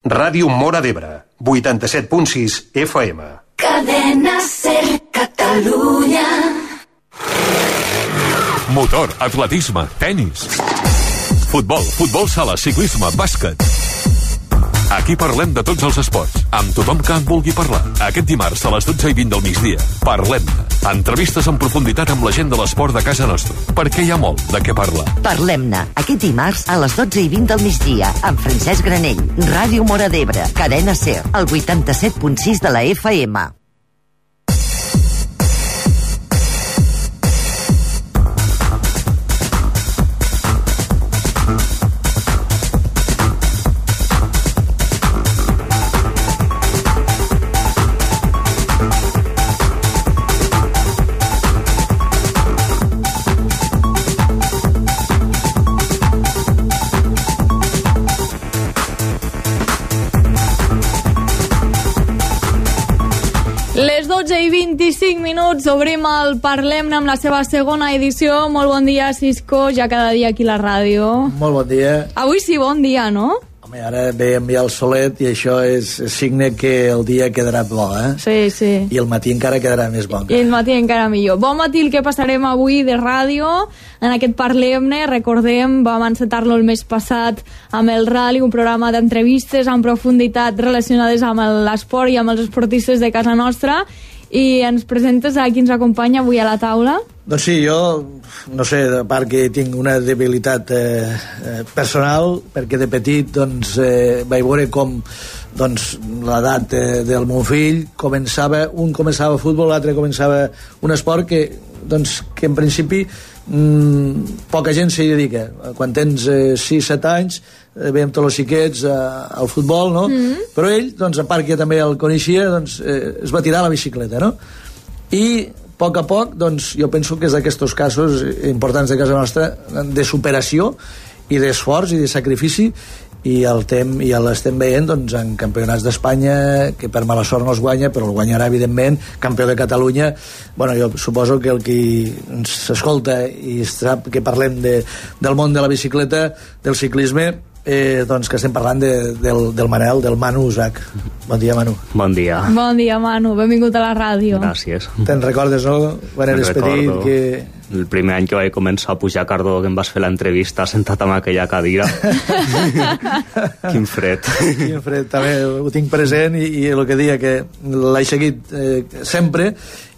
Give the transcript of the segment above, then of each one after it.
Ràdio Móra d'Ebre, 87.6 FM. Cadena Ser Catalunya. Motor, atletisme, tenis, futbol sala, ciclisme, bàsquet. Aquí parlem de tots els esports, amb tothom que en vulgui parlar. Aquest dimarts a les 12:20 del migdia, parlem-ne. Entrevistes en profunditat amb la gent de l'esport de casa nostra, perquè hi ha molt de què parlar. Parlem-ne, aquest dimarts a les 12:20 del migdia, amb Francesc Granell, Ràdio Móra d'Ebre, Cadena Ser, el 87.6 de la FM. Les 12:25, obrim el Parlem-ne amb la seva segona edició. Molt bon dia, Cisco, ja cada dia aquí a la ràdio. Molt bon dia. Avui sí, bon dia, no? Home, ara veiem ja el solet i això és signe que el dia quedarà bo, eh? Sí, sí. I el matí encara quedarà més bon. I el matí encara millor. Bon matí el que passarem avui de ràdio. En aquest Parlem-ne, recordem, vam encetar-lo el mes passat amb el Rally, un programa d'entrevistes en profunditat relacionades amb l'esport i amb els esportistes de casa nostra. I ens presentes a qui ens acompanya avui a la taula? Doncs sí, jo, no sé, a part que tinc una debilitat personal, perquè de petit doncs, vaig veure com doncs, l'edat del meu fill un començava futbol, l'altre començava un esport que en principi poca gent s'hi dedica. Quan tens 6-7 anys veiem tots els xiquets al futbol, no? Però ell, doncs, a part que també el coneixia, doncs, es va tirar a la bicicleta, no? I a poc, doncs, jo penso que és d'aquests casos importants de casa nostra de superació i d'esforç i de sacrifici, i l'estem veient doncs, en campionats d'Espanya, que per mala sort no es guanya, però el guanyarà evidentment, campió de Catalunya. Bueno, jo suposo que el qui ens escolta i sap que parlem del món de la bicicleta, del ciclisme, doncs que estem parlant del Manel, del Manu Usach. Bon dia, Manu. Bon dia. Bon dia, Manu, benvingut a la ràdio. Gràcies. Te'n recordes, no? Quan eres petit, que... El primer any que vaig començar a pujar a Cardó, que em vas fer l'entrevista sentat en aquella cadira. Quin fred. Quin fred, també ho tinc present, i el que deia, que l'he seguit sempre,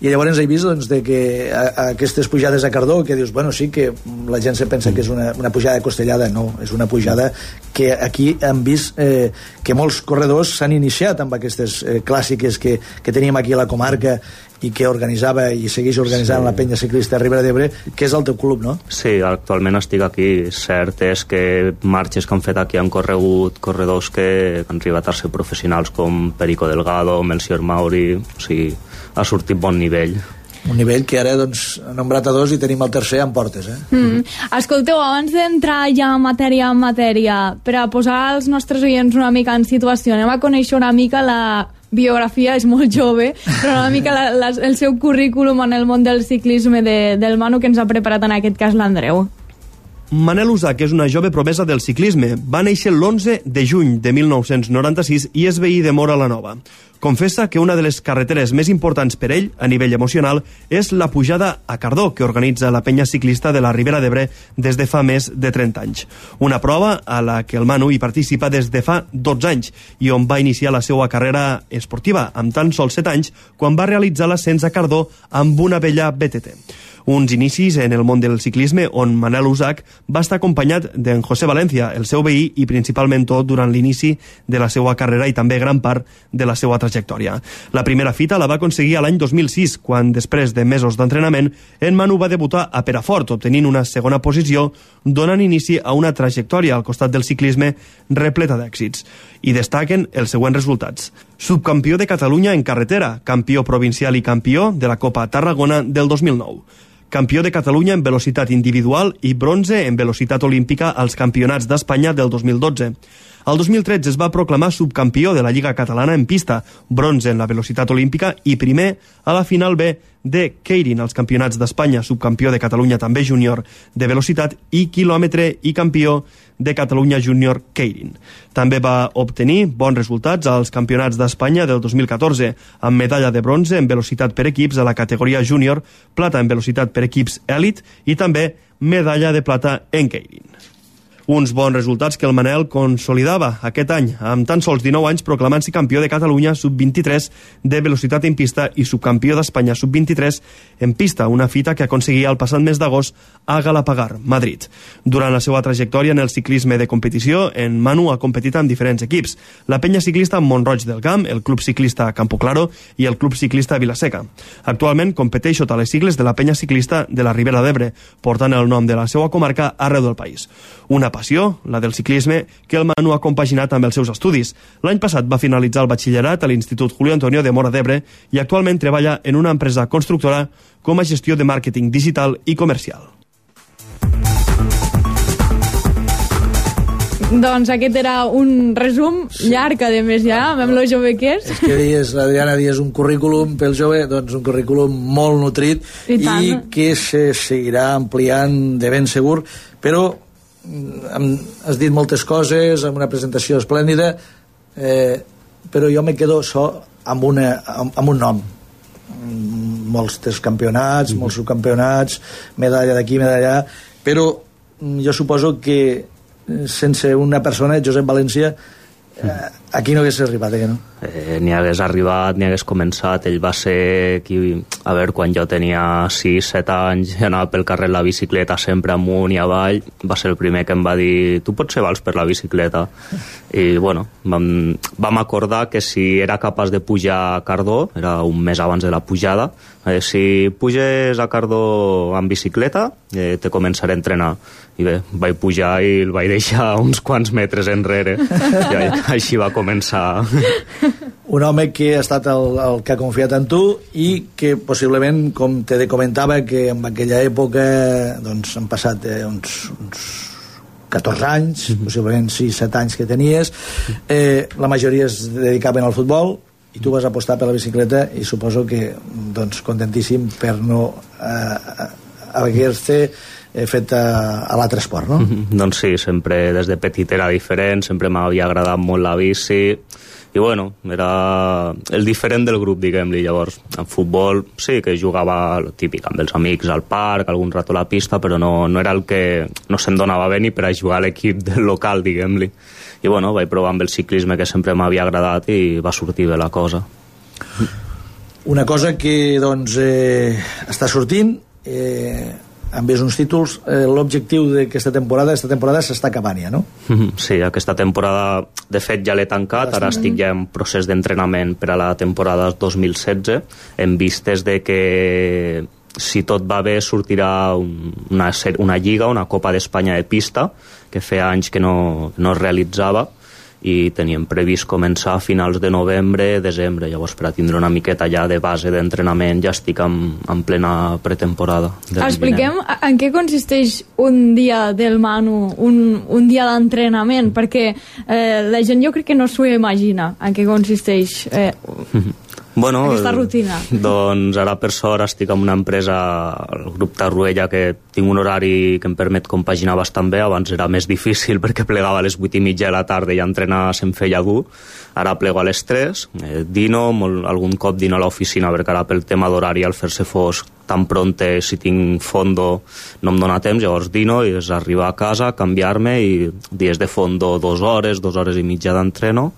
i llavors he vist doncs, de que aquestes pujades a Cardó, que dius, bueno, sí que la gent se pensa que és una pujada costellada. No, és una pujada que aquí hem vist que molts corredors s'han iniciat amb aquestes clàssiques que teníem aquí a la comarca, i que organitzava i segueix organitzant la penya ciclista Ribera d'Ebre, que és el teu club, no? Sí, actualment estic aquí. Cert és que marxes que han fet aquí han corregut corredors que han arribat a ser professionals, com Perico Delgado, Melcior Mauri. O sigui, ha sortit bon nivell. Un nivell que ara, doncs, ha nombrat a 2 i tenim el tercer en portes, Escolteu, abans d'entrar ja en matèria, per a posar els nostres oients una mica en situació, anem a conèixer una mica la biografia, és molt jove, però una mica el seu currículum en el món del ciclisme del Manu, que ens ha preparat en aquest cas l'Andreu. Manel Usach és una jove promesa del ciclisme. Va néixer l'11 de juny de 1996 i és veí de Móra la Nova. Confessa que una de les carreteres més importants per ell, a nivell emocional, és la pujada a Cardó, que organitza la penya ciclista de la Ribera d'Ebre des de fa més de 30 anys. Una prova a la que el Manu hi participa des de fa 12 anys i on va iniciar la seva carrera esportiva, amb tan sols 7 anys, quan va realitzar l'ascens a Cardó amb una vella BTT. Uns inicis en el món del ciclisme on Manel Usach va estar acompanyat d'en José Valencia, el seu veí i principal mentor durant l'inici de la seva carrera i també gran part de la seva trajectòria. La primera fita la va aconseguir a l'any 2006, quan després de mesos d'entrenament en Manu va debutar a Perafort, obtenint una segona posició, donant inici a una trajectòria al costat del ciclisme repleta d'èxits. I destaquen els següents resultats. Subcampió de Catalunya en carretera, campió provincial i campió de la Copa Tarragona del 2009. Campió de Catalunya en velocitat individual i bronze en velocitat olímpica als Campionats d'Espanya del 2012. El 2013 es va proclamar subcampió de la Lliga Catalana en pista, bronze en la velocitat olímpica i primer a la final B de Keirin, als campionats d'Espanya, subcampió de Catalunya també júnior de velocitat i quilòmetre i campió de Catalunya júnior Keirin. També va obtenir bons resultats als campionats d'Espanya del 2014, amb medalla de bronze en velocitat per equips a la categoria júnior, plata en velocitat per equips èlit i també medalla de plata en Keirin. Uns bons resultats que el Manel consolidava aquest any, amb tan sols 19 anys proclamant-se campió de Catalunya sub-23 de velocitat en pista i subcampió d'Espanya sub-23 en pista, una fita que aconseguia el passat mes d'agost a Galapagar, Madrid. Durant la seva trajectòria en el ciclisme de competició, en Manu ha competit amb diferents equips, la penya ciclista Mont-roig del Camp, el club ciclista Campo Claro i el club ciclista Vilaseca. Actualment competeix sota les sigles de la penya ciclista de la Ribera d'Ebre, portant el nom de la seva comarca arreu del país. Una passió, la del ciclisme, que el Manu ha compaginat amb els seus estudis. L'any passat va finalitzar el batxillerat a l'Institut Julio Antonio de Móra d'Ebre i actualment treballa en una empresa constructora com a gestió de màrqueting digital i comercial. Doncs aquest era un resum llarg, a més, ja, amb lo jove que és. És que dius, l'Adriana, dius un currículum pel jove, doncs un currículum molt nutrit i que se seguirà ampliant de ben segur, però has dit moltes coses, amb una presentació esplèndida, però jo me quedo amb un nom. Molts campionats, molts subcampionats, medalla d'aquí, medalla allà, però jo suposo que sense una persona, Josep València, aquí no hagués arribat, no? Ni hagués arribat, ni hagués començat. Ell va ser qui, a veure, quan jo tenia 6-7 anys, anava pel carrer en la bicicleta sempre amunt i avall, va ser el primer que em va dir: tu pots ser vals per la bicicleta? I bueno, vam acordar que si era capaç de pujar a Cardó, era un mes abans de la pujada, si puges a Cardó amb bicicleta, te començaré a entrenar. I bé, vaig pujar i el vaig deixar uns quants metres enrere i així va començar. Un home que ha estat el que ha confiat en tu i que possiblement, com te comentava, que en aquella època doncs, han passat uns 14 anys, possiblement 6-7 anys que tenies, la majoria es dedicaven al futbol i tu vas apostar per la bicicleta i suposo que doncs, contentíssim per no haver-te fet a l'altre esport, no? Doncs sí, sempre des de petit era diferent, sempre m'havia agradat molt la bici i bueno, era el diferent del grup, diguem-li. Llavors, en futbol sí que jugava el típic amb els amics al parc, algun rato a la pista, però no era el que no se'm donava bé ni per a jugar a l'equip del local, diguem-li. I bueno, vaig provar amb el ciclisme, que sempre m'havia agradat, i va sortir bé la cosa. Una cosa que doncs està sortint amb uns títols, l'objectiu d'aquesta temporada s'està acabant ja, no? Sí, aquesta temporada de fet ja l'he tancat, ara estic ja en procés d'entrenament per a la temporada 2016, en vistes de que si tot va bé sortirà una lliga, una Copa d'Espanya de pista, que feia anys que no es realitzava, i teníem previst començar a finals de novembre, desembre. Llavors, per a tindre una miqueta ja de base d'entrenament, ja estic en plena pretemporada. Expliquem en què consisteix un dia del Manu, un dia d'entrenament, perquè la gent jo crec que no s'ho imagina en què consisteix aquesta rutina. Doncs ara per sort estic en una empresa, el grup Tarruella, que tinc un horari que em permet compaginar bastant bé. Abans era més difícil perquè plegava a les 8:30 de la tarda i entrenar se'm feia dur. Ara plego a les 3, dino, algun cop dino a l'oficina, perquè ara pel tema d'horari, al fer-se fosc tan pronte, si tinc fondo no em dóna temps, llavors dino i és arribar a casa, canviar-me, i dies de fondo 2 hores i mitja d'entreno,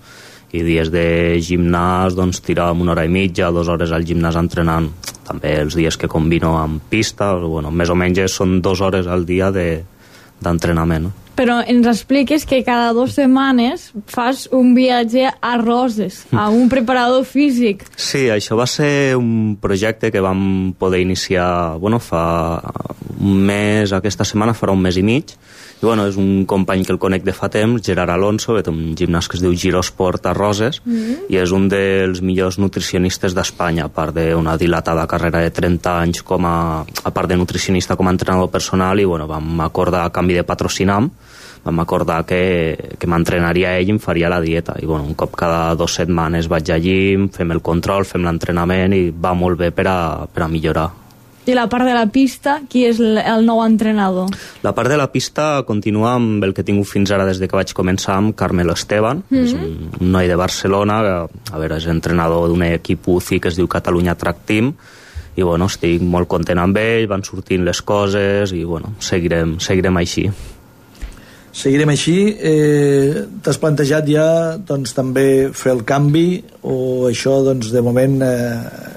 i dies de gimnàs doncs tiràvem 1 hora i mitja, 2 hores al gimnàs entrenant. També els dies que combino amb pista, bueno, més o menys són 2 hores al dia d'entrenament. Però ens expliques que cada 2 setmanes fas un viatge a Roses, a un preparador físic. Sí, això va ser un projecte que vam poder iniciar, fa un mes, aquesta setmana farà un mes i mig, i és un company que el conec de fa temps, Gerard Alonso, que té un gimnàs que es diu Girosport a Roses, i és un dels millors nutricionistes d'Espanya, a part d'una dilatada carrera de 30 anys a part de nutricionista com a entrenador personal, i vam acordar a canvi de patrocinar, vam acordar que m'entrenaria ell i em faria la dieta. I bueno, un cop cada 2 setmanes vaig al llim, fem el control, fem l'entrenament i va molt bé per a millorar. I la part de la pista, qui és el nou entrenador? La part de la pista continua amb el que he tingut fins ara des de que vaig començar amb Carmelo Esteban, és un noi de Barcelona, que a veure, és entrenador d'un equip UCI que es diu Catalunya Track Team, i bueno, estic molt content amb ell, van sortint les coses i bueno, seguirem així. Seguirem així. T'has plantejat ja doncs, també fer el canvi o això doncs, de moment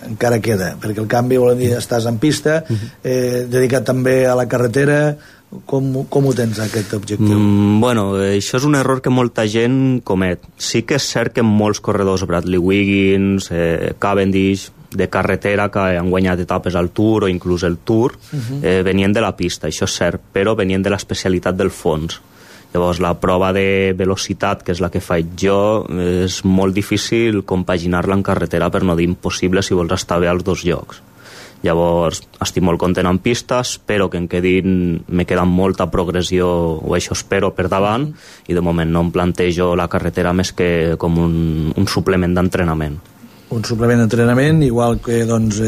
encara queda? Perquè el canvi, volem dir, estàs en pista, dedicat també a la carretera. Com ho tens, aquest objectiu? Bueno, això és un error que molta gent comet. Sí que és cert que molts corredors, Bradley Wiggins, Cavendish, de carretera que han guanyat etapes al Tour o inclús el Tour, venien de la pista, això és cert, però venien de l'especialitat del fons. Llavors la prova de velocitat, que és la que faig jo, és molt difícil compaginar-la en carretera, per no dir impossible si vols estar bé als dos llocs. Llavors estic molt content en pista, espero que me queda molta progressió, o això espero, per davant, i de moment no em plantejo la carretera més que com un suplement d'entrenament. Un suplement d'entrenament, igual que doncs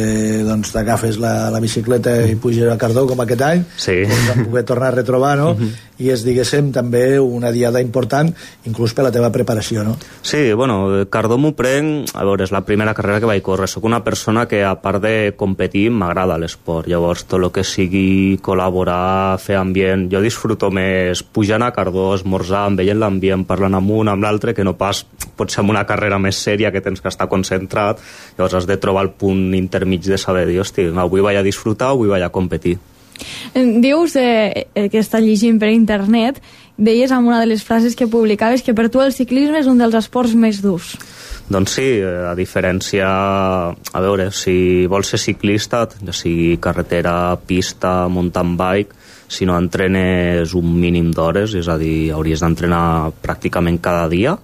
t'agafes la bicicleta i puges a Cardó com aquest any, sí. Doncs vam poder tornar a retrobar, no? I és, diguéssim, també una diada important, inclús per la teva preparació, no? Sí, bueno, Cardó m'ho prenc, a veure, és la primera carrera que vaig córrer. Soc una persona que, a part de competir, m'agrada l'esport. Llavors, tot el que sigui col·laborar, fer ambient... Jo disfruto més pujant a Cardó, esmorzant, veient l'ambient, parlant amb un, amb l'altre, que no pas potser amb una carrera més sèria que tens que estar concentrat. Llavors has de trobar el punt intermig de saber dir, hosti, avui vaig a disfrutar, avui vaig a competir. Dius que estàs llegint per internet, deies en una de les frases que publicaves que per tu el ciclisme és un dels esports més durs. Doncs sí, a diferència... A veure, si vols ser ciclista, ja sigui carretera, pista, mountain bike, si no entrenes un mínim d'hores, és a dir, hauries d'entrenar pràcticament cada dia,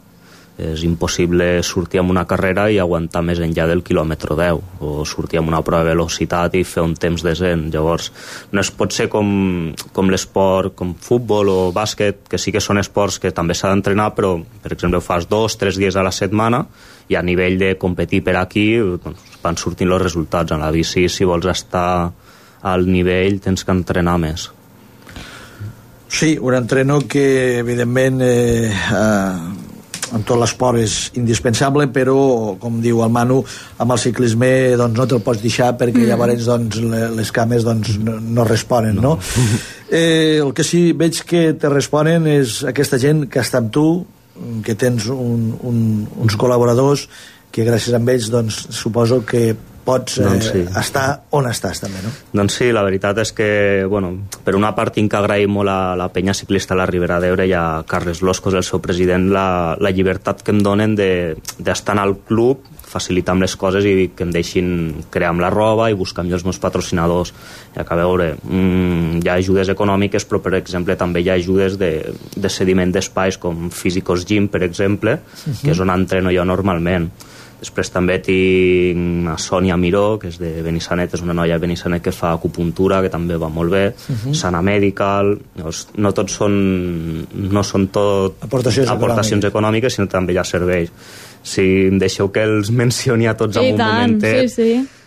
és impossible sortir amb una carrera i aguantar més enllà del quilòmetre 10, o sortir amb una prova de velocitat i fer un temps decent. Llavors no es pot ser com l'esport, com futbol o bàsquet, que sí que són esports que també s'ha d'entrenar, però per exemple ho fas 2-3 dies a la setmana i a nivell de competir per aquí doncs, van sortint els resultats. En la bici, si vols estar al nivell, tens que entrenar més. Sí, un entreno que evidentment en tot l'esport és indispensable, però com diu el Manu, amb el ciclisme doncs, no te'l pots deixar perquè llavors doncs, les cames doncs, no responen, no? El que sí veig que te responen és aquesta gent que està amb tu, que tens uns col·laboradors que gràcies a ells doncs, suposo que pots estar on estàs també, no? Doncs sí, la veritat és que, bueno, per una part tinc que agrair molt a la penya ciclista a la Ribera d'Ebre i a Carles Loscos, el seu president, la llibertat que em donen d'estar en el club, facilitar amb les coses i que em deixin crear amb la roba i buscar amb els meus patrocinadors. I a veure, hi ha ajudes econòmiques, però per exemple també hi ha ajudes de cediment d'espais com Físicos Gym, per exemple, que és on entreno jo normalment. Després també tinc a Sònia Miró, que és de Benissanet, és una noia de Benissanet que fa acupuntura, que també va molt bé, Sana Medical. No tots no són tot aportacions econòmiques, sinó també hi ha serveis. Si em deixeu que els mencioni a tots en un momentet,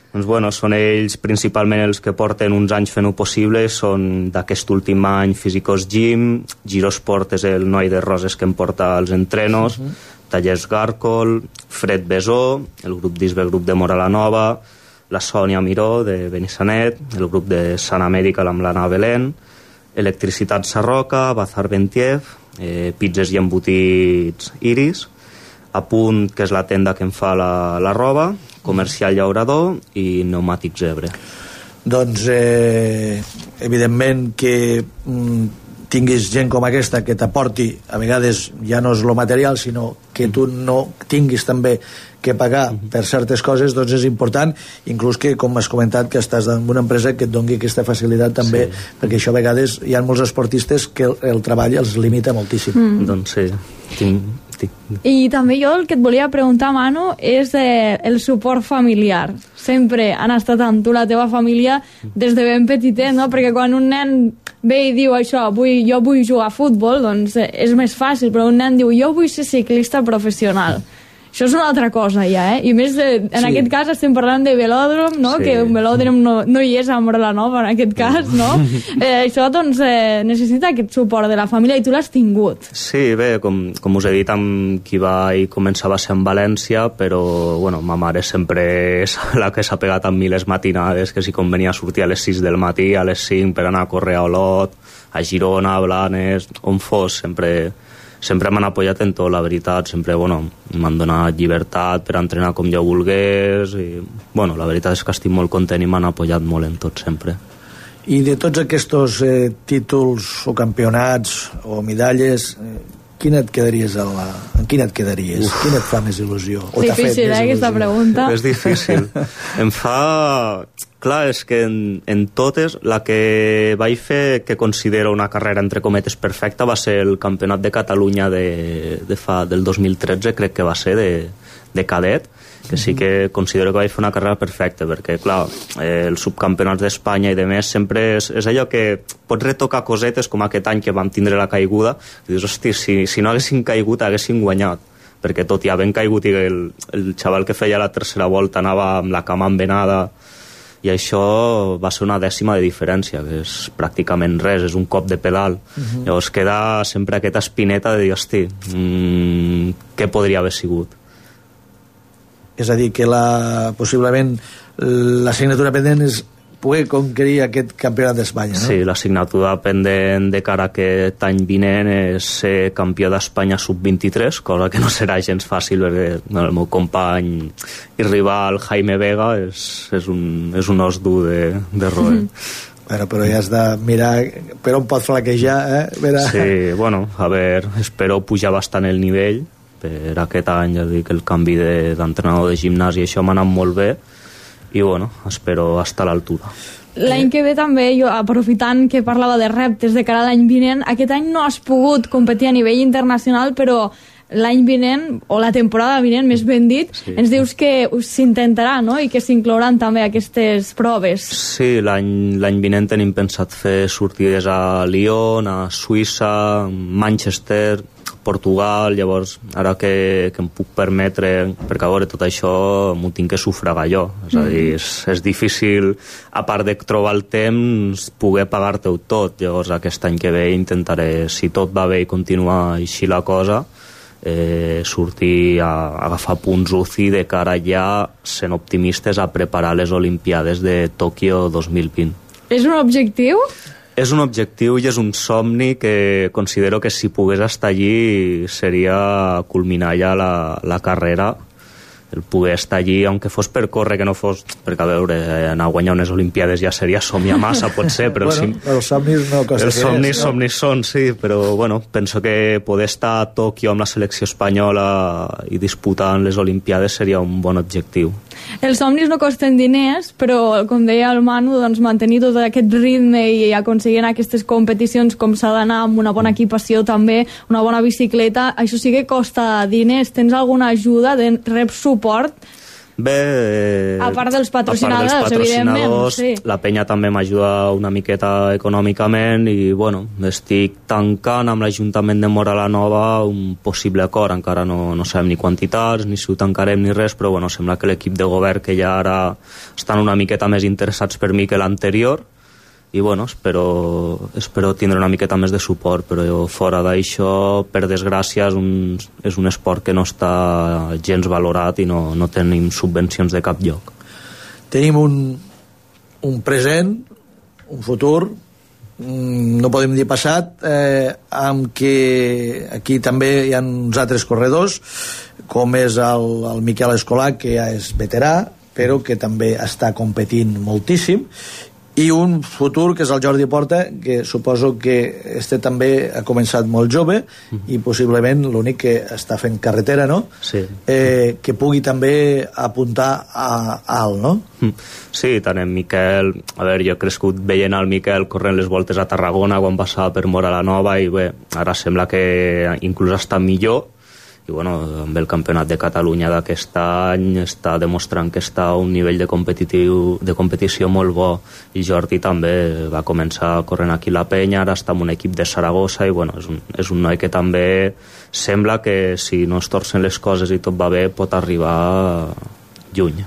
doncs bueno, són ells principalment els que porten uns anys fent-ho possible, són d'aquest últim any Físicos Gym, Girosport és el noi de Roses que em porta els entrenos, Tallers Gàrcol, Fred Besó, el grup d'Isbe, grup de Mora la Nova, la Sònia Miró de Benissanet, el grup de Sana Medical amb l'Anna Belén, Electricitat Sarroca, Bazar Bentiev, pizzas i embotits Iris, Apunt, que és la tenda que em fa la roba, Comercial Llaurador i Pneumàtics Ebre. Doncs evidentment que tinguis gent com aquesta que t'aporti, a vegades ja no és lo material, sinó que tu no tinguis també que pagar per certes coses, doncs és important, inclús que, com has comentat, que estàs en una empresa que et doni aquesta facilitat també, perquè això a vegades hi ha molts esportistes que el treball els limita moltíssim. Doncs sí, I també jo el que et volia preguntar, Manu, és el suport familiar. Sempre han estat amb tu, la teva família, des de ben petitet, no? Perquè quan un nen ve i diu això, jo vull jugar a futbol, doncs és més fàcil, però un nen diu jo vull ser ciclista professional. Això és una altra cosa ja, I més, en aquest cas estem parlant de velòdrom, no? Que un velòdrom no hi és a Moralanova, en aquest cas, no? Això, doncs, necessita aquest suport de la família i tu l'has tingut. Sí, bé, com us he dit, amb qui vaig començar va ser en València, però, bueno, ma mare sempre és la que s'ha pegat amb miles matinades, que si convenia sortir a les 6 del matí, a les 5 per anar a córrer a Olot, a Girona, a Blanes, on fos, sempre m'han apoyat en tot, la veritat. Sempre, bueno, m'han donat llibertat per entrenar com jo volgués i, bueno, la veritat és que estic molt content i m'han apoyat molt en tot, sempre. I de tots aquests títols o campionats o medalles, quina et quedaries en quina et quedaries? Quina et fa més il·lusió? O difícil, aquesta pregunta. És difícil. Em fa... Clar, és que en totes la que vaig fer que considero una carrera entre cometes perfecta va ser el Campionat de Catalunya del 2013, crec que va ser, de cadet, que sí que considero que vaig fer una carrera perfecta, perquè, clar, els subcampionats d'Espanya i de més sempre és allò que pots retocar cosetes com aquest any que vam tindre la caiguda, i dius, hosti, si no haguessin caigut haguessin guanyat, perquè tot i havent caigut i el xaval que feia la tercera volta anava amb la cama envenada, i això va ser una dècima de diferència, que és pràcticament res, és un cop de pedal. Llavors queda sempre aquesta espineta de dir, hosti, què podria haver sigut? És a dir, que possiblement l'assignatura pendent és poder conquerir aquest campionat d'Espanya, no? Sí, l'assignatura pendent de cara a aquest any vinent és ser campió d'Espanya sub-23, cosa que no serà gens fàcil, perquè el meu company i rival Jaime Vega és un os dur de roer. Bueno, però ja has de mirar per on pot flaquejar, Sí, bueno, a veure, espero pujar bastant el nivell. Per aquest any, ja dic, el canvi d'entrenador de gimnàs i això m'ha anat molt bé, i bueno, espero estar a l'altura. L'any que ve també, jo aprofitant que parlava de reptes de cara a l'any vinent, aquest any no has pogut competir a nivell internacional, però l'any vinent, o la temporada vinent, més ben dit, ens dius que s'intentarà, no?, i que s'inclouran també aquestes proves. Sí, l'any vinent tenim pensat fer sortides a Lyon, a Suïssa, Manchester, Portugal. Llavors ara que em puc permetre, perquè a veure, tot això m'ho tinc que sufragar jo, és a dir, és difícil, a part de trobar el temps, poder pagar-te-ho tot. Llavors aquest any que ve intentaré, si tot va bé i continua així la cosa, sortir a agafar punts UCI de cara ja, sent optimistes, a preparar les Olimpiades de Tòquio 2020. És un objectiu? És un objectiu i és un somni que considero que si pogués estar allí seria culminar ja la carrera, el poder estar allí, aunque fos per córrer, que no fos... Perquè, a veure, anar a guanyar unes Olimpiades ja seria somiar massa, pot ser, però... Bueno, els somnis no costa els somnis són, sí, però, bueno, penso que poder estar a Tòquio amb la selecció espanyola i disputant les Olimpiades seria un bon objectiu. Els somnis no costen diners, però, com deia el Manu, doncs, mantenir tot aquest ritme i aconseguir aquestes competicions com s'ha d'anar, amb una bona equipació també, una bona bicicleta, això sí que costa diners. Tens alguna ajuda? Reps suport? Bé, a part dels patrocinadors, evidentment, sí. La penya també m'ajuda una miqueta econòmicament i, bueno, estic tancant amb l'Ajuntament de Moralanova un possible acord. Encara no sabem ni quantitats, ni si ho tancarem ni res, però, bueno, sembla que l'equip de govern que ja ara estan una miqueta més interessats per mi que l'anterior, i, bueno, espero tindre una miqueta més de suport, però fora d'això, per desgràcia, és un esport que no està gens valorat i no tenim subvencions de cap lloc. Tenim un present, un futur, no podem dir passat, amb que aquí també hi ha uns altres corredors, com és el Miquel Escolà, que ja és veterà, però que també està competint moltíssim, i un futur que és el Jordi Porta, que suposo que també ha començat molt jove i possiblement l'únic que està fent carretera, no? Sí. Que pugui també apuntar a alt, no? Sí, tant en Miquel, a veure, jo he crescut veient el Miquel corrent les voltes a Tarragona quan passava per Moralanova i bé, ara sembla que inclús està millor i bueno, amb el campionat de Catalunya d'aquest any està demostrant que està a un nivell de competició molt bo, i Jordi també va començar corrent aquí la penya, ara està en un equip de Saragossa i bueno, és un noi que també sembla que si no es torcen les coses i tot va bé pot arribar lluny.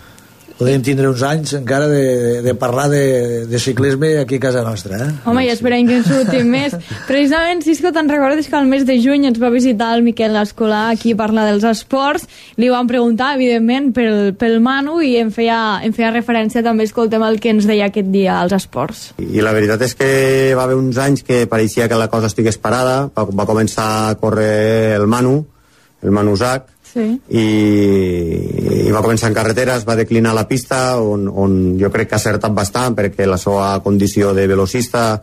Podem tindre uns anys encara de parlar de ciclisme aquí a casa nostra, eh? Home, i esperem que en surtin més. Precisament, Cisco, te'n recordes que al mes de juny ens va visitar el Miquel Escolà aquí a parlar dels esports, li vam preguntar, evidentment, pel Manu, i em feia referència també, escoltem el que ens deia aquest dia als esports. I la veritat és que va haver uns anys que pareixia que la cosa estigués parada, va començar a córrer el Manu Zach, sí. I va començar en carretera, es va declinar la pista on jo crec que ha acertat bastant perquè la seva condició de velocista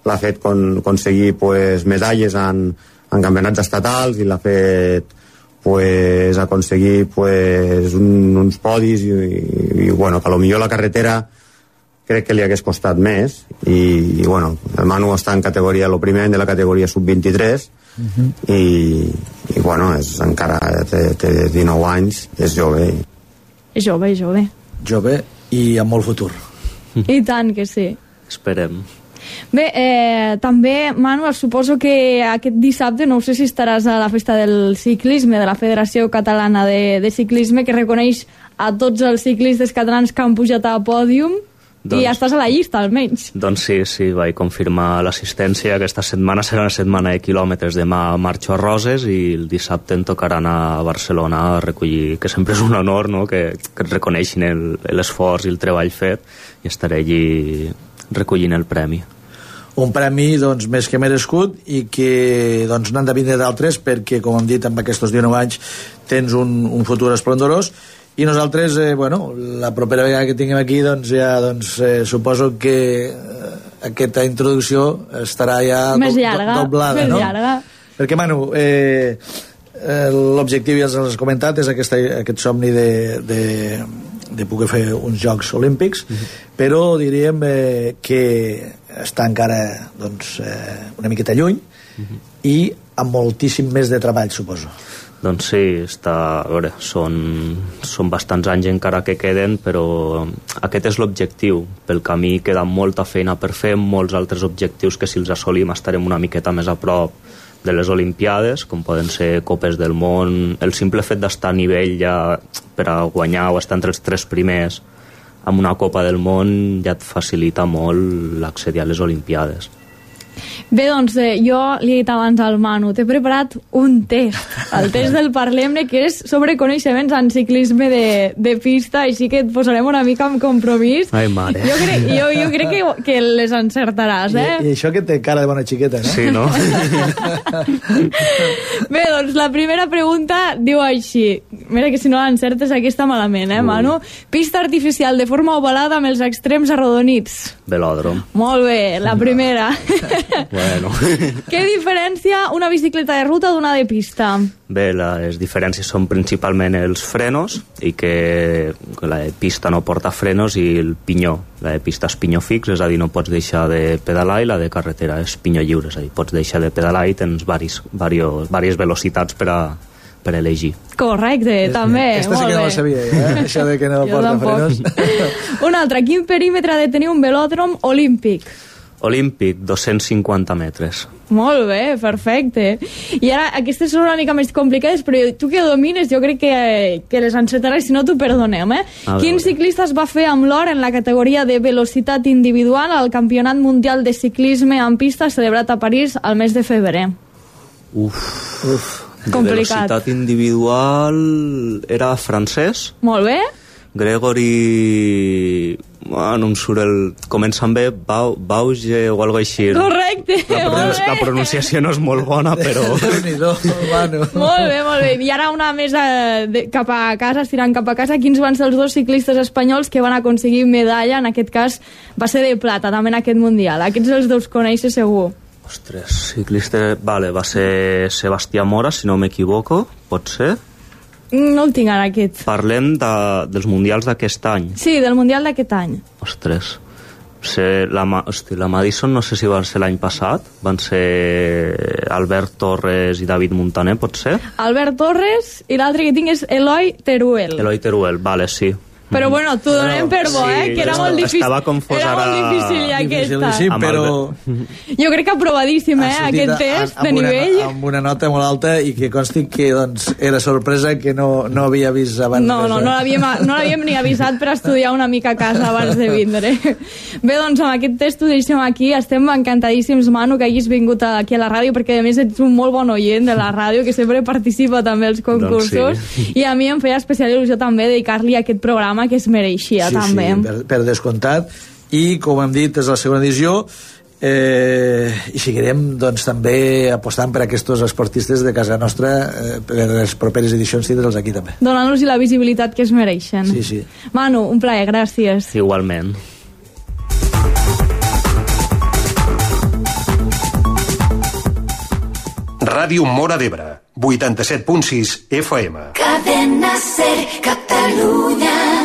l'ha fet aconseguir medalles en campionats estatals i l'ha fet aconseguir uns podis i bueno, que potser la carretera crec que li hagués costat més i bueno, el Manu està en categoria, el primer any de la categoria sub-23 i bueno, encara té 19 anys, és jove. És jove. Jove i amb molt futur. I tant que sí. Esperem. Bé, també, Manu, suposo que aquest dissabte, no sé si estaràs a la festa del ciclisme de la Federació Catalana de Ciclisme, que reconeix a tots els ciclistes catalans que han pujat a pòdium. I ja estàs a la llista, almenys. Doncs sí, vaig confirmar l'assistència. Aquesta setmana serà una setmana de quilòmetres. Demà marxo a Roses i el dissabte em tocarà anar a Barcelona a recollir, que sempre és un honor, no?, que et reconeixin l'esforç i el treball fet, i estaré allí recollint el premi. Un premi doncs, més que merescut i que doncs, n'han de vindre d'altres perquè, com hem dit, amb aquests 19 anys tens un futur esplendorós. I nosaltres, bueno, la propera vegada que tinguem aquí, doncs ja suposo que aquesta introducció estarà ja més llarga, doblada, més no? llarga. Perquè, Manu, l'objectiu ja els has comentat, és aquest somni de poder fer uns Jocs Olímpics, però diríem que està encara doncs, una miqueta lluny i amb moltíssim més de treball, suposo. Doncs sí, a veure, són bastants anys encara que queden, però aquest és l'objectiu. Pel camí queda molta feina per fer, molts altres objectius que si els assolim estarem una miqueta més a prop de les Olimpiades, com poden ser Copes del Món. El simple fet d'estar a nivell ja per a guanyar o estar entre els 3 primers amb una Copa del Món ja et facilita molt l'accedir a les Olimpiades. Bé, doncs jo li he dit abans al Manu, t'he preparat un test, el test del Parlem-ne, que és sobre coneixements en ciclisme de pista, així que et posarem una mica en compromís. Ai, mare. Jo crec que les encertaràs, eh? I això que té cara de bona xiqueta, no? Sí, no? Bé, doncs la primera pregunta diu així, mira que si no l'encertes aquí està malament, Manu? Pista artificial de forma ovalada amb els extrems arrodonits. Velòdrom. Molt bé, la primera. Bueno. Què diferencia una bicicleta de ruta d'una de pista? Bé, les diferències són principalment els frenos, i que la de pista no porta frenos, i el pinyó. La de pista és pinyó fix, és a dir, no pots deixar de pedalar, i la de carretera és pinyó lliure, és a dir, pots deixar de pedalar i tens diverses velocitats per elegir. Correcte, també. Aquesta sí que no la sabia, això de que no porta frenos. Un altre, quin perímetre ha de tenir un velòdrom olímpic? Olímpic, 250 metres. Molt bé, perfecte. I ara, aquestes són una mica més complicades, però tu que domines, jo crec que les encetaràs, si no t'ho perdonem, Quin ciclista es va fer amb l'or en la categoria de velocitat individual al Campionat Mundial de Ciclisme en pista celebrat a París al mes de febrer? Complicat. Velocitat individual era francès? Molt bé. Gregory... no em surt el... Comença amb B, Bauge o alguna cosa així. Correcte, la pronunciació no és molt bona, però... Molt bé. I ara una més cap a casa, estirant cap a casa. Quins van ser els 2 ciclistes espanyols que van aconseguir medalla? En aquest cas va ser de plata, també en aquest Mundial. Aquests els 2 coneixes segur. Ostres, ciclista... Vale, va ser Sebastià Mora, si no m'equivoco, pot ser? No el tinc ara, aquest. Parlem dels mundials d'aquest any. Sí, del mundial d'aquest any. Ostres. La Madison no sé si va ser l'any passat, van ser Albert Torres i David Montaner, pot ser? Albert Torres i l'altre que tinc és Eloi Teruel. Eloi Teruel, vale, sí. Però bueno, t'ho donem per bo, que era molt difícil. Estava confós era molt difícil ja aquesta. Sí, però... Jo crec que aprovadíssim, aquest test de nivell. Amb una nota molt alta i que consti que doncs, era sorpresa que no havia vist abans. No l'havíem ni avisat per estudiar una mica a casa abans de vindre. Bé, doncs amb aquest test ho deixem aquí. Estem encantadíssims, Manu, que hagis vingut aquí a la ràdio, perquè a més ets un molt bon oient de la ràdio, que sempre participa també als concursos. Doncs sí. I a mi em feia especial il·lusió també dedicar-li a aquest programa que es mereixia, també. Sí, per descomptat. I, com hem dit, és la segona edició i seguirem doncs, també apostant per aquests esportistes de casa nostra per les properes edicions tindre'ls aquí també. Donant-los la visibilitat que es mereixen. Sí. Manu, un plaer, gràcies. Igualment. Ràdio Móra d'Ebre, 87.6 FM. Cadena Ser Catalunya.